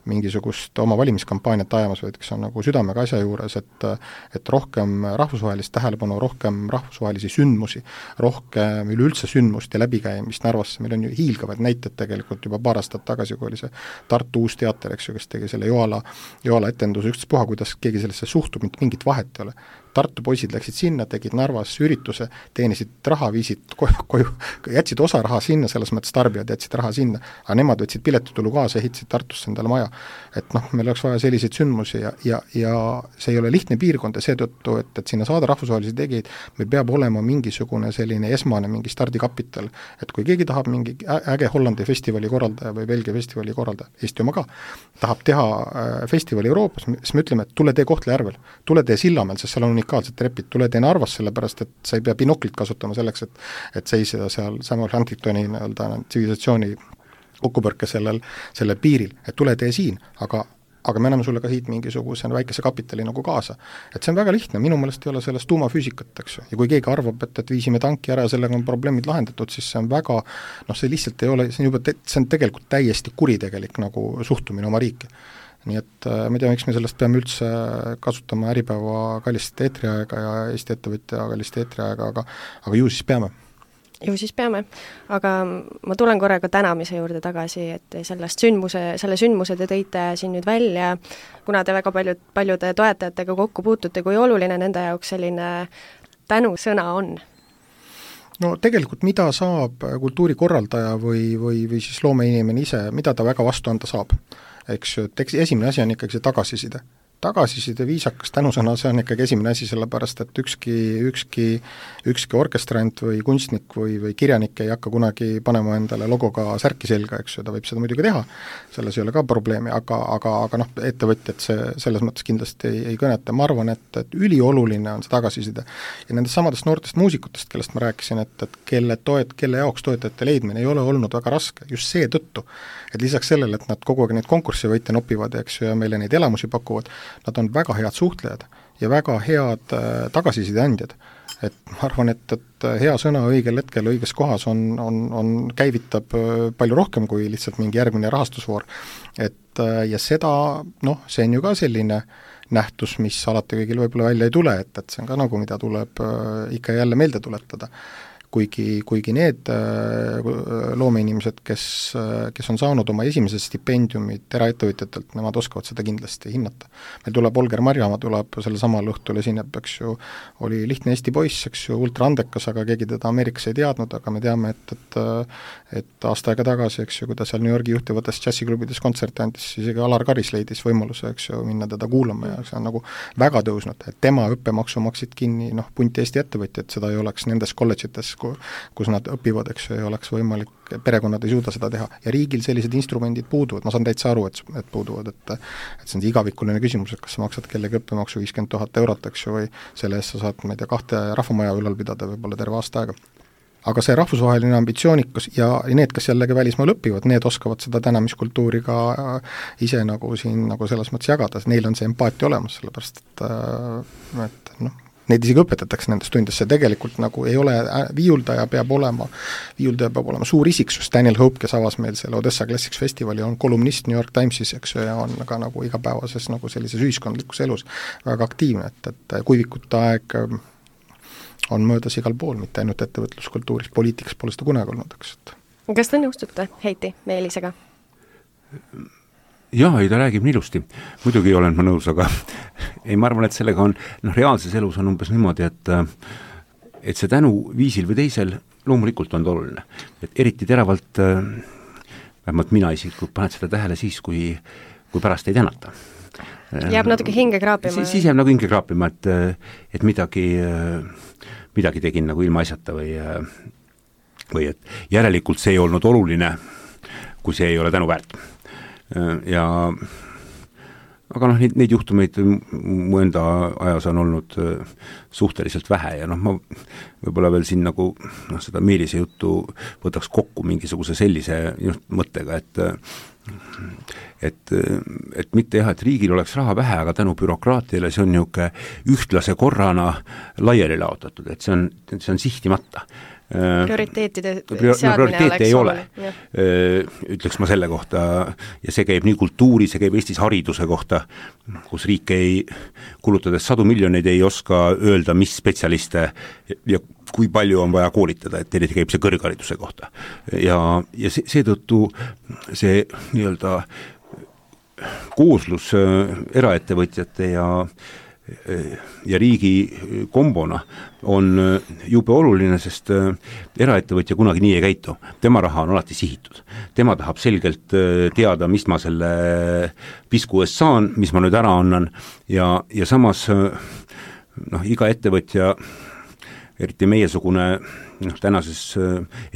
Speaker 4: mingisugust oma valimiskampaaniat ajamas, vaid kes on nagu südamega asja juures, et rohkem rahvusvahelist tähelepanu, rohkem rahvusvahelisi sündmusi, rohkem üleüldse sündmust ja läbikäimist Narvasse, meil on ju hiilgavad näited tegelikult juba paar aastat tagasi, kui oli see Tartu uus teater, eks ju, kes tegi selle Joala etenduse ükstaspuha, kuidas keegi sellesse suhtub, mingit vahet ei ole. Tartu poisid läksid sinna, tegid Narvas ürituse, teenisid raha, viisid koju, jätsid osa raha sinna, selles mõttes tarbijad jätsid raha sinna, aga nemad võtsid piletitulu kaasa, ehitasid Tartusse endale maja. Et meil oleks vaja selliseid sündmusi ja see ei ole lihtne piirkond ja seetõttu, et sinna saada rahvusvahelisi tegijaid, meil peab olema mingisugune selline esmane mingi stardikapital, et kui keegi tahab mingi äge Hollandi festivali korraldaja või Belgia festivali korraldaja, Eesti oma ka, tahab teha festivali Euroopas, siis me ütleme, et tule tee Kohtla-Järvel, tule tee Sillamäel, sest seal on unikaalsed trepid, tule tee Narvas, sellepärast et sa ei pea binoklit kasutama selleks, et seisida seal Samuel Huntingtoni tsivilisatsiooni kokkupõrke sellel piiril, et tule tee siin, aga me anname sulle ka siit mingisuguse väikese kapitali nagu kaasa. Et see on väga lihtne, minu meelest ei ole sellest tuumafüüsikat, eks ju, ja kui keegi arvab, et viisime tanki ära ja sellega on probleemid lahendatud, siis see on väga, see lihtsalt ei ole, see on tegelikult täiesti kuritegelik nagu suhtumine oma riiki. Nii et ma ei tea, miks me sellest peame üldse kasutama Äripäeva kallist eetriaega ja Eesti ettevõtja kallist eetriaega, aga ju siis peame.
Speaker 3: Ju siis peame, aga ma tulen korraga tänamise juurde tagasi, et selle sündmuse te tõite siin nüüd välja, kuna te väga paljude toetajatega kokku puutute, kui oluline nende jaoks selline tänusõna on?
Speaker 4: No tegelikult mida saab kultuurikorraldaja või siis loomeinimene ise, mida ta väga vastu anda saab? Eks esimene asi on ikkagi see tagasiside viisakas tänusõna, see on ikkagi esimene asi, sellepärast et ükski orkestrant või kunstnik või kirjanik ei hakka kunagi panema endale logoga särki selga, eks ju, ta võib seda muidugi teha, selles ei ole ka probleemi, aga ettevõtjad selles mõttes kindlasti ei kõneta, ma arvan, et ülioluline on see tagasiside. Ja nendest samadest noortest muusikutest, kellest ma rääkisin, et kelle jaoks toetajate leidmine ei ole olnud väga raske, just see tõttu, et lisaks sellele, et nad kogu aeg neid konkurssi võite nopivad, eks ju, ja meile neid elamusi pakuvad, nad on väga head suhtlejad ja väga head tagasisideandjad. Et ma arvan, et hea sõna õigel hetkel õiges kohas käivitab palju rohkem kui lihtsalt mingi järgmine rahastusvoor. Ja seda, see on ju ka selline nähtus, mis alati kõigil võib-olla välja ei tule, et see on ka nagu, mida tuleb ikka jälle meelde tuletada. Kuigi need loomeinimesed, kes on saanud oma esimesed stipendiumid eraettevõtjatelt, nemad oskavad seda kindlasti hinnata. Meil tuleb Olger Marjamaa, tuleb selle samal õhtul esineb, eks ju, oli lihtne Eesti poiss, eks ju, ultra andekas, aga keegi teda Ameerikas ei teadnud, aga me teame, et aasta aega tagasi, eks ju, kui ta seal New Yorgi juhtivates džässiklubides kontserte andis, siis isegi Alar Karis leidis võimaluse, eks ju, minna teda kuulama ja see on nagu väga tõusnud, et tema õppemaksu maksid kinni, punti Eesti ettevõtjad, seda ei oleks nendes kolledžites, kus nad õpivad, eks ju, ei oleks võimalik, perekonnad ei suuda seda teha ja riigil sellised instrumendid puuduvad, ma saan täitsa aru, et puuduvad, et see on see igavikuline küsimus, et kas sa maksad kellegi õppemaksu 50 000 eurot, eks ju, või selle eest sa saad, ma ei tea, 2 rahvamaja ülal pidada võib-olla terve aasta aega. Aga see rahvusvaheline ambitsioonikus ja need, kes jällegi välismaal õpivad, need oskavad seda tänamiskultuuri ka ise nagu siin nagu selles mõttes jagada, neil on see empaatia olemas, sellepärast et neid isegi õpetatakse nendes tundides, see tegelikult nagu ei ole, viiuldaja peab olema suur isiksus, Daniel Hope, kes avas meil selle Odessa Classics festivali, on kolumnist New York Timesis, eks ju, ja on ka nagu igapäevases nagu sellises ühiskondlikus elus väga aktiivne, et kuivikute aeg on möödas igal pool, mitte ainult ettevõtluskultuuris, poliitikas pole seda kunagi olnud, eks.
Speaker 3: Kas te nõustute Heiti Meelisega?
Speaker 5: Jah, ta räägib ilusti. Muidugi olen ma nõus, aga ma arvan, et sellega on, reaalses elus on umbes niimoodi, et see tänu viisil või teisel loomulikult on oluline. Et eriti teravalt, vähemalt mina isiklikult paned seda tähele siis, kui pärast ei tänata.
Speaker 3: Jääb natuke hinge kraapima.
Speaker 5: Siis jääb nagu hinge kraapima, et midagi tegin nagu ilma asjata või et järelikult see ei olnud oluline, kui see ei ole tänu väärt. Aga neid juhtumeid mu enda ajas on olnud suhteliselt vähe ja ma võib-olla veel siin nagu seda Meelise juttu võtaks kokku mingisuguse sellise mõttega, et mitte jah, et riigil oleks raha vähe, aga tänu bürokraatiale see on niisugune ühtlase korrana laiali laotatud, et see on sihtimata.
Speaker 3: Prioriteetide seadmine oleks
Speaker 5: ei ole, ütleks ma selle kohta, ja see käib nii kultuuri, see käib Eestis hariduse kohta, kus riik ei, kulutades 100 miljoneid ei oska öelda, mis spetsialiste ja kui palju on vaja koolitada, et eriti käib see kõrghariduse kohta. Ja seetõttu see nii-öelda kooslus eraettevõtjate ja riigi kombona on jube oluline, sest eraettevõtja kunagi nii ei käitu. Tema raha on alati sihitud. Tema tahab selgelt teada, mis ma selle pisku eest saan, mis ma nüüd ära annan ja samas iga ettevõtja, eriti meiesugune tänases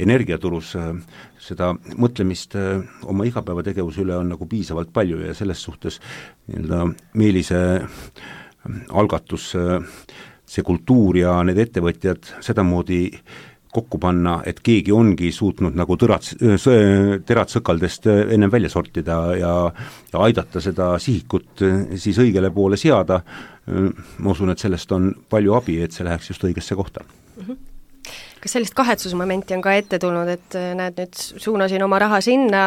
Speaker 5: energiaturus seda mõtlemist oma igapäevategevuse üle on nagu piisavalt palju ja selles suhtes Meelise algatus, see kultuur ja need ettevõtjad sedamoodi kokku panna, et keegi ongi suutnud nagu terad sõkaldest ennem välja sortida ja aidata seda sihikut siis õigele poole seada. Ma usun, et sellest on palju abi, et see läheks just õigesse kohta.
Speaker 3: Kas sellist kahetsusmomenti on ka ette tulnud, et näed, nüüd suunasin oma raha sinna,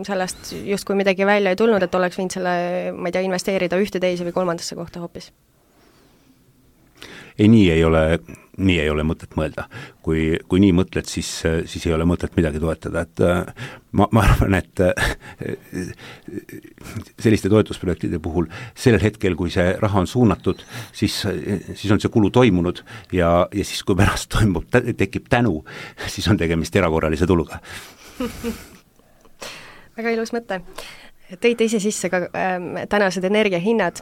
Speaker 3: sellest just kui midagi välja ei tulnud, et oleks võinud selle, ma ei tea, investeerida ühte, teise või kolmandasse kohta hoopis?
Speaker 5: Ei, nii ei ole mõtet mõelda. Kui nii mõtled, siis ei ole mõtet midagi toetada. Et ma arvan, et selliste toetusprojektide puhul sellel hetkel, kui see raha on suunatud, siis on see kulu toimunud ja siis, kui pärast tekib tänu, siis on tegemist erakorralise tuluga.
Speaker 3: Väga ilus mõte. Tõite ise sisse ka tänased energiahinnad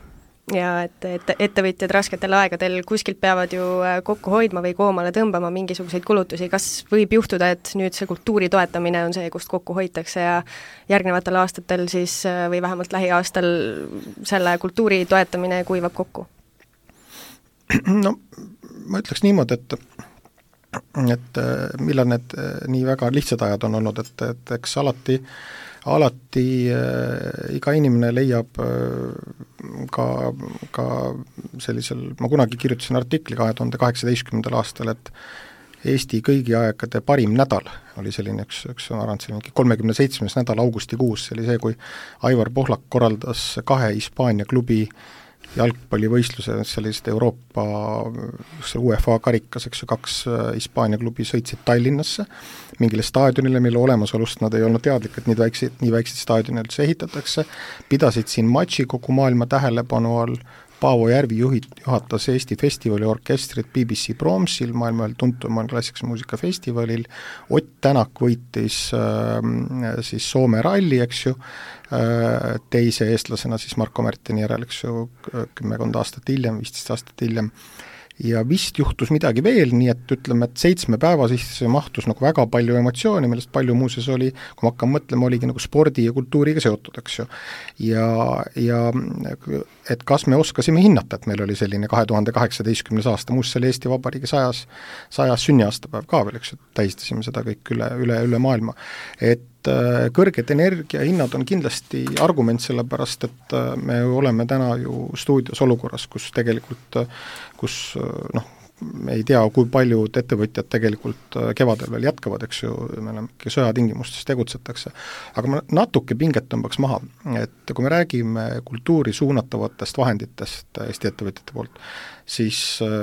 Speaker 3: ja et ettevõtjad rasketel aegadel kuskilt peavad ju kokku hoidma või koomale tõmbama mingisuguseid kulutusi. Kas võib juhtuda, et nüüd see kultuuri toetamine on see, kust kokku hoitakse ja järgnevatel aastatel siis või vähemalt lähiaastal selle kultuuri toetamine kuivab kokku?
Speaker 4: No ma ütleks niimoodi, et millal need nii väga lihtsad ajad on olnud, et eks alati iga inimene leiab ka sellisel, ma kunagi kirjutasin artikli 2018. aastal, et Eesti kõigi aegade parim nädal oli selline üks ma arvan, selline 37. nädal augustikuus, see oli see, kui Aivar Pohlak korraldas 2 Hispaania klubi jalgpallivõistluse, sellised Euroopa UEFA karikas, 2 Hispaania klubi sõitsid Tallinnasse mingile staadionile, mille olemasolust nad ei olnud teadlik, et nii väikseid staadionil üldse ehitatakse, pidasid siin matši kogu maailma tähelepanu all. Paavo Järvi juhatas Eesti festivali orkestrit BBC Bromsil, maailma tuntum klassikalise muusika festivalil, Ott Tänak võitis siis Soome ralli, eks ju, teise eestlasena siis Marko Märtini järel, eks ju, 10 aastat hiljem, 15 aastat hiljem. Ja vist juhtus midagi veel, nii et ütleme, et 7 päeva siis mahtus nagu väga palju emotsiooni, millest palju muuses oli, kui ma hakkan mõtlema, oligi nagu spordi ja kultuuriga seotud, eks ju. Ja et kas me oskasime hinnata, et meil oli selline 2018. aasta, muuseas oli Eesti Vabariigi 100 sünniaastapäev ka veel, eks ju, tähistasime seda kõik üle maailma. Et kõrged energiahinnad on kindlasti argument sellepärast, et me oleme täna ju stuudios olukorras, kus tegelikult, me ei tea, kui paljud ettevõtjad tegelikult kevadel veel jätkavad, eks ju, me oleme sõjatingimustes tegutsetakse. Aga ma natuke pinget tõmbaks maha, et kui me räägime kultuuri suunatavatest vahenditest Eesti ettevõtjate poolt, siis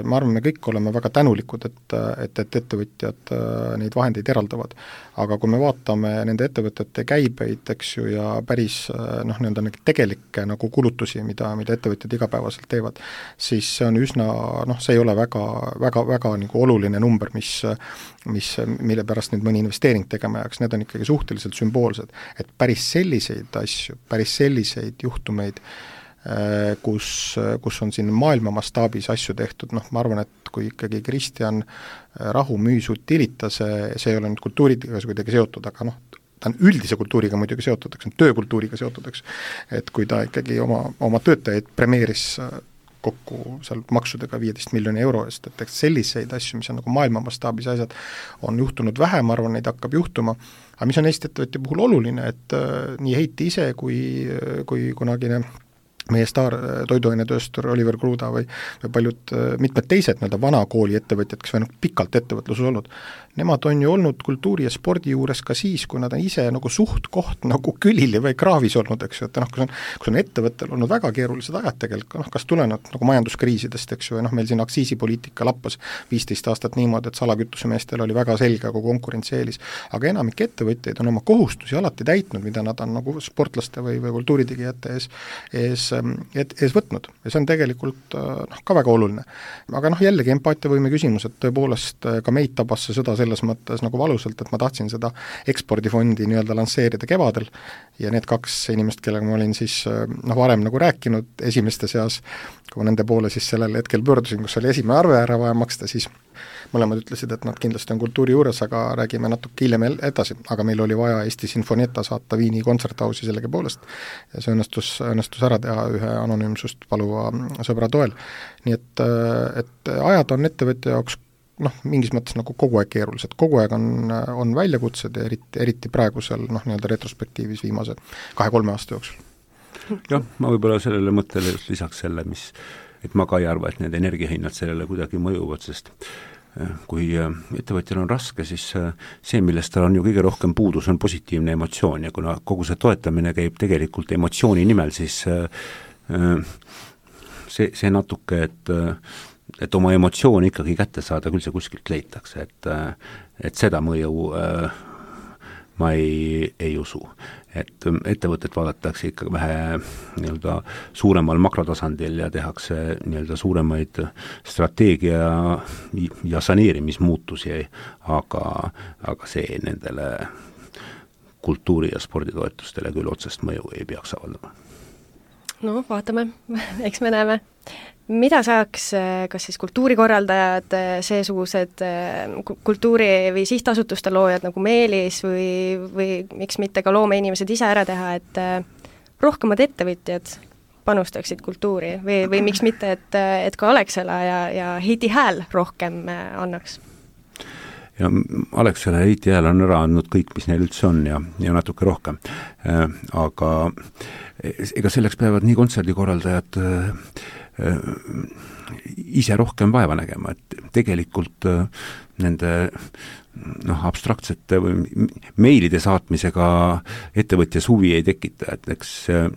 Speaker 4: ma arvan, me kõik oleme väga tänulikud, et ettevõtjad neid vahendeid eraldavad. Aga kui me vaatame nende ettevõtete käibeid, eks ju, ja päris tegelikke nagu kulutusi, mida ettevõtjad igapäevaselt teevad, siis see on üsna, see ei ole väga nagu oluline number, mille pärast nüüd mõni investeering tegema jääks, need on ikkagi suhteliselt sümboolsed. Et päris selliseid asju, päris selliseid juhtumeid, kus on siin maailma mastaabis asju tehtud, ma arvan, et kui ikkagi Kristjan Rahu müüs Utilita, see ei ole nüüd kultuuriga kuidagi seotud, aga ta on üldise kultuuriga muidugi seotud, eks, töökultuuriga seotud, eks, et kui ta ikkagi oma töötajaid premeeris kokku seal maksudega 15 miljoni euro eest, et selliseid asju, mis on nagu maailma mastaabis asjad, on juhtunud vähe, ma arvan, neid hakkab juhtuma, aga mis on Eesti ettevõtja puhul oluline, et nii Heiti ise kui kunagine meie staar toiduainetööstur Oliver Kruda või mitmed teised vana kooli ettevõtjad, kes on pikalt ettevõtluses olnud, nemad on ju olnud kultuuri ja spordi juures ka siis, kui nad on ise nagu suht koht nagu külili või kraavis olnud, eks ju, et kus on ettevõttel olnud väga keerulised ajad tegelikult, kas tulenud nagu majanduskriisidest, eks ju, meil siin aktsiisipoliitika lappas 15 aastat niimoodi, et salakütusemeestel oli väga selge nagu konkurentsieelis, aga enamik ettevõtjaid on oma kohustusi alati täitnud, mida nad on nagu sportlaste või kultuuritegijate ees ees võtnud ja see on tegelikult ka väga oluline. Aga jällegi empaatiavõime küsimus, et tõepoolest ka meid tabas see sõda selles mõttes nagu valusalt, et ma tahtsin seda ekspordifondi nii-öelda lansseerida kevadel ja need 2 inimest, kellega ma olin siis varem nagu rääkinud esimeste seas, kui ma nende poole siis sellel hetkel pöördusin, kus oli esimene arve ära vaja maksta, siis mõlemad ütlesid, et nad kindlasti on kultuuri juures, aga räägime natuke hiljem edasi, aga meil oli vaja Eesti Sinfonietta saata Viini kontserthausi sellegi poolest ja see õnnestus ära teha ühe anonüümsust paluva sõbra toel. Nii et ajad on ettevõtja jaoks mingis mõttes nagu kogu aeg keerulised, kogu aeg on väljakutsed ja eriti praegusel nii-öelda retrospektiivis viimase 2-3 aasta jooksul.
Speaker 5: Jah, ma võib-olla sellele mõttele just lisaks selle, et ma ka ei arva, et need energiahinnad sellele kuidagi mõjuvad, sest kui ettevõtjal on raske, siis see, millest tal on ju kõige rohkem puudus, on positiivne emotsioon ja kuna kogu see toetamine käib tegelikult emotsiooni nimel, siis see natuke, et oma emotsiooni ikkagi kätte saada, küll see kuskilt leitakse, et seda mõju ma ei usu. Et ettevõtet vaadatakse ikka vähe nii-öelda suuremal makrotasandil ja tehakse nii-öelda suuremaid strateegia ja saneerimismuutusi, aga see nendele kultuuri- ja sporditoetustele küll otsest mõju ei peaks avaldama.
Speaker 3: No vaatame, eks me näeme. Mida saaks kas siis kultuurikorraldajad, seesugused kultuuri- või sihtasutuste loojad nagu Meelis või miks mitte ka loomeinimesed ise ära teha, et rohkemad ettevõtjad panustaksid kultuuri või miks mitte, et ka Alexela ja Heiti Hääl rohkem annaks?
Speaker 5: Ja Alexela ja Heiti Hääl on ära andnud kõik, mis neil üldse on ja natuke rohkem. Aga ega selleks peavad nii kontserdikorraldajad ise rohkem vaeva nägema, et tegelikult nende abstraktsete või meilide saatmisega ettevõtjas huvi ei tekita, et eks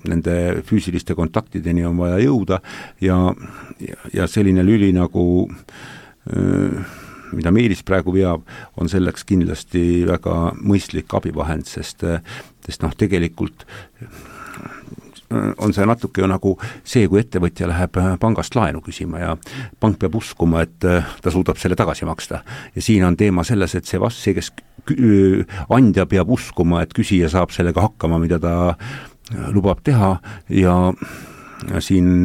Speaker 5: nende füüsiliste kontaktideni on vaja jõuda ja selline lüli nagu mida Meelis praegu veab, on selleks kindlasti väga mõistlik abivahend, sest tegelikult on see natuke ju nagu see, kui ettevõtja läheb pangast laenu küsima ja pank peab uskuma, et ta suudab selle tagasi maksta. Ja siin on teema selles, et see, kes andja peab uskuma, et küsija saab sellega hakkama, mida ta lubab teha ja siin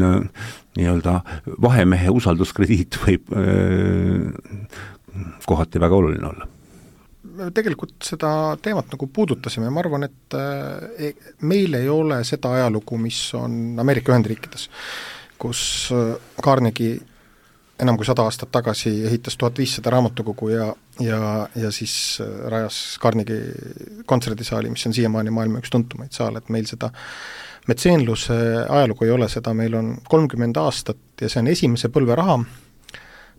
Speaker 5: nii-öelda vahemehe usalduskrediit võib kohati väga oluline olla.
Speaker 4: Tegelikult seda teemat nagu puudutasime, ma arvan, et meil ei ole seda ajalugu, mis on Ameerika Ühendriikides, kus Carnegie enam kui 100 aastat tagasi ehitas 1500 raamatukogu ja siis rajas Carnegie kontserdisaali, mis on siiamaani maailma üks tuntumaid saal, et meil seda metseenluse ajalugu ei ole, seda meil on 30 aastat ja see on esimese põlve raha.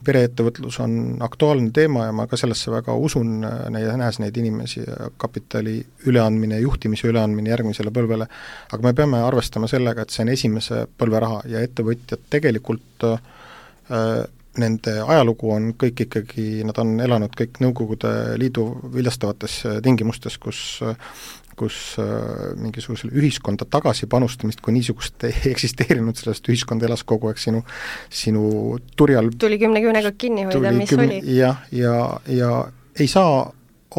Speaker 4: Pereettevõtlus on aktuaalne teema ja ma ka sellesse väga usun, nähes neid inimesi ja kapitali üleandmine, juhtimise üleandmine järgmisele põlvele, aga me peame arvestama sellega, et see on esimese põlve raha ja ettevõtjad tegelikult nende ajalugu on kõik ikkagi, nad on elanud kõik Nõukogude Liidu viljastavates tingimustes, kus mingisugusele ühiskonda tagasi panustamist, kui niisugust ei eksisteerinud, sellest ühiskond elas kogu aeg sinu turjal.
Speaker 3: Tuli 10 küünega kinni hoida, mis oli.
Speaker 4: Ja ei saa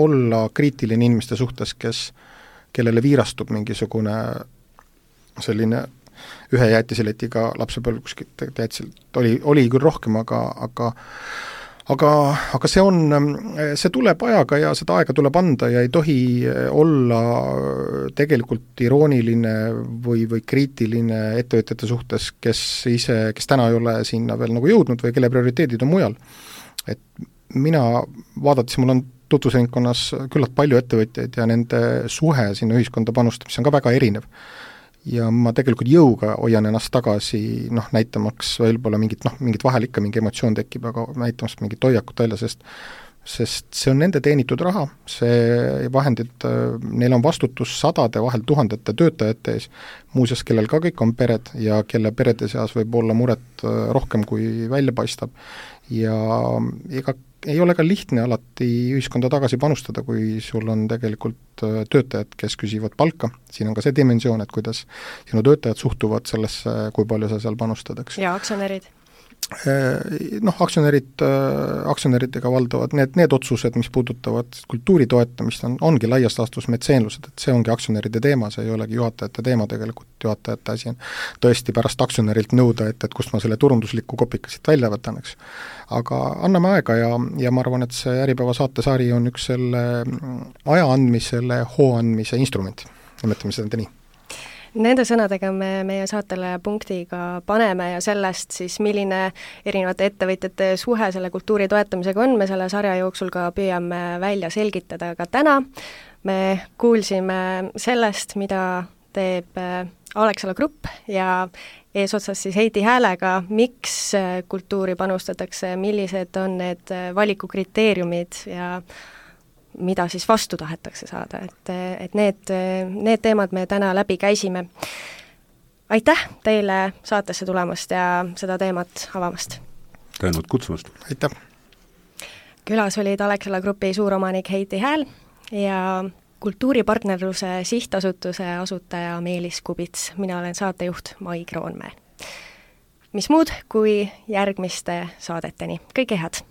Speaker 4: olla kriitiline inimeste suhtes, kellele viirastub mingisugune selline ühe jäätiseletiga lapsepõlv kuskilt oli küll rohkem, aga see tuleb ajaga ja seda aega tuleb anda ja ei tohi olla tegelikult irooniline või kriitiline ettevõtjate suhtes, kes täna ei ole sinna veel nagu jõudnud või kelle prioriteedid on mujal. Et mina vaadates, mul on tutvusringkonnas küllalt palju ettevõtjaid ja nende suhe sinna ühiskonda panustamist on ka väga erinev. Ja ma tegelikult jõuga hoian ennast tagasi, näitamaks võib-olla mingit vahel ikka mingi emotsioon tekib, aga näitamaks mingit hoiakut välja, sest see on nende teenitud raha, see vahendid, neil on vastutus 100, vahel 1000 töötajate ees, muuseas, kellel ka kõik on pered ja kelle perede seas võib olla muret rohkem kui välja paistab ja ega ei ole ka lihtne alati ühiskonda tagasi panustada, kui sul on tegelikult töötajad, kes küsivad palka, siin on ka see dimensioon, et kuidas sinu töötajad suhtuvad sellesse, kui palju sa seal panustad, eks.
Speaker 3: Ja aktsionärid?
Speaker 4: Aktsionäridega valdavad need otsused, mis puudutavad kultuuri toetamist, ongi laias laastus metseenlused, et see ongi aktsionäride teema, see ei olegi juhatajate teema tegelikult, juhatajate asi on tõesti pärast aktsionärilt nõuda, et kust ma selle turundusliku kopika siit välja võtan, eks. Aga anname aega ja ma arvan, et see Äripäeva saatesari on üks selle aja andmisele, hoo andmise instrument, nimetame seda nii.
Speaker 3: Nende sõnadega me meie saatele punktiga paneme ja sellest siis, milline erinevate ettevõtjate suhe selle kultuuri toetamisega on, me selle sarja jooksul ka püüame välja selgitada ka täna. Me kuulsime sellest, mida teeb Alexela Grupp ja eesotsas siis Heidi Häälega, miks kultuuri panustatakse, millised on need valikukriteeriumid ja mida siis vastu tahetakse saada, et need teemad me täna läbi käisime. Aitäh teile saatesse tulemast ja seda teemat avamast!
Speaker 5: Tänud kutsumast!
Speaker 4: Aitäh!
Speaker 3: Külas olid Alexela Grupi suuromanik Heidi Hääl ja kultuuripartnerluse sihtasutuse asutaja Meelis Kubits. Mina olen saatejuht Mai Kroonmäe. Mis muud kui järgmiste saadeteni. Kõike head!